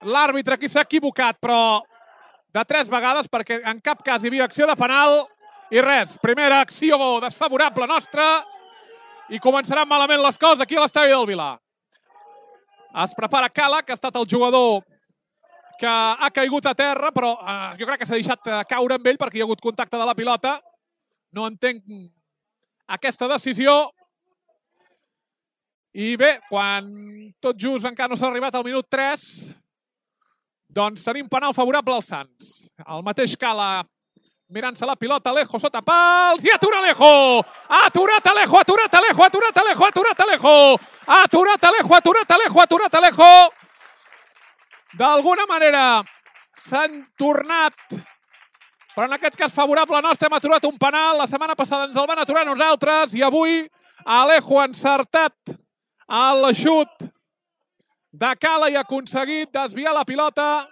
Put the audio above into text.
l'àrbitre aquí s'ha equivocat, però de 3 vegades, perquè en cap cas hi havia acció de penal i res. Primera acció desfavorable nostra i començaran malament les coses aquí a l'estadi del Vilar. Es prepara Cala, que ha estat el jugador que ha caigut a terra, però jo crec que s'ha deixat caure amb ell perquè hi ha hagut contacte de la pilota. No entenc aquesta decisió. I bé, quan tot just encara no s'ha arribat al minut 3, doncs tenim penal favorable als Sants. El mateix Cala mirant-se la pilota, Alejo sota pals i atura Alejo! Aturat Alejo, aturat Alejo, aturat Alejo, aturat Alejo! Aturat Alejo, aturat Alejo, aturat Alejo! D'alguna manera s'han tornat, però en aquest cas favorable nostre, hem aturat un penal. La setmana passada ens el van aturar nosaltres i avui Alejo ha encertat el xut de Cala i ha aconseguit desviar la pilota